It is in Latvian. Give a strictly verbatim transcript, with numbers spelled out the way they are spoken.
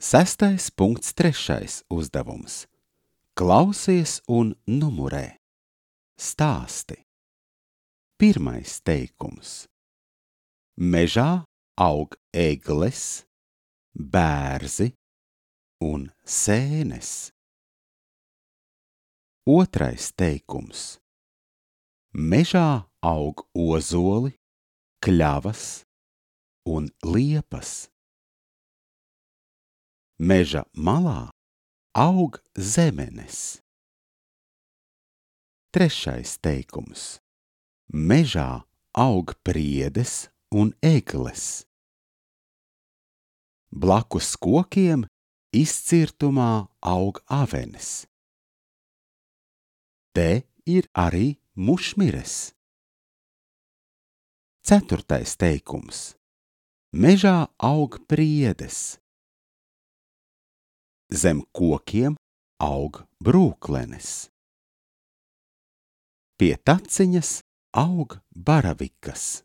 Sestais punkts trešais uzdevums. Klausies un numurē. Stāsti. Pirmais teikums. Mežā aug egles, bērzi un sēnes. Otrais teikums. Mežā aug ozoli, kļavas un liepas. Meža malā aug zemenes. Trešais teikums. Mežā aug priedes un egles. Blakus kokiem izcirtumā aug avenes. Te ir arī mušmires. Ceturtais teikums. Mežā aug priedes. Zem kokiem aug brūklenes. Pie taciņas aug baravikas.